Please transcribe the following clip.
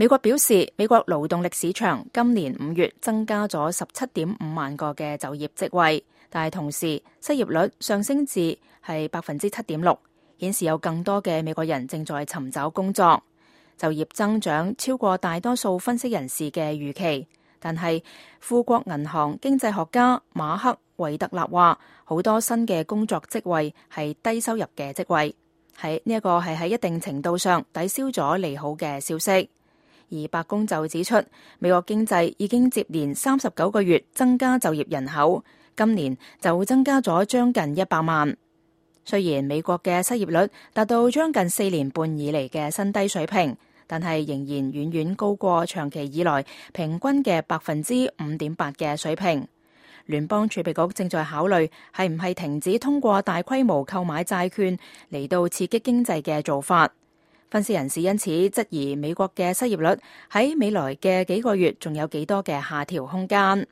美國表示，美國勞動力市場今年5月增加咗17.5萬個嘅就業職位，但係同時失業率上升至係7.6%，顯示有更多嘅美國人正在尋找工作。就業增長超過大多數分析人士嘅預期，但係富國銀行經濟學家馬克維特納話，好多新嘅工作職位係低收入嘅職位，呢一個係喺一定程度上抵消咗利好嘅消息。而白宮就指出，美國經濟已經接連39個月增加就業人口，今年就增加咗將近100萬。雖然美國嘅失業率達到將近4年半以嚟嘅新低水平，但係仍然遠遠高過長期以來平均嘅5.8%嘅水平。聯邦儲備局正在考慮係唔係停止通過大規模購買債券嚟到刺激經濟嘅做法。分析人士因此質疑美國嘅失業率喺未來嘅幾個月仲有幾多嘅下調空間。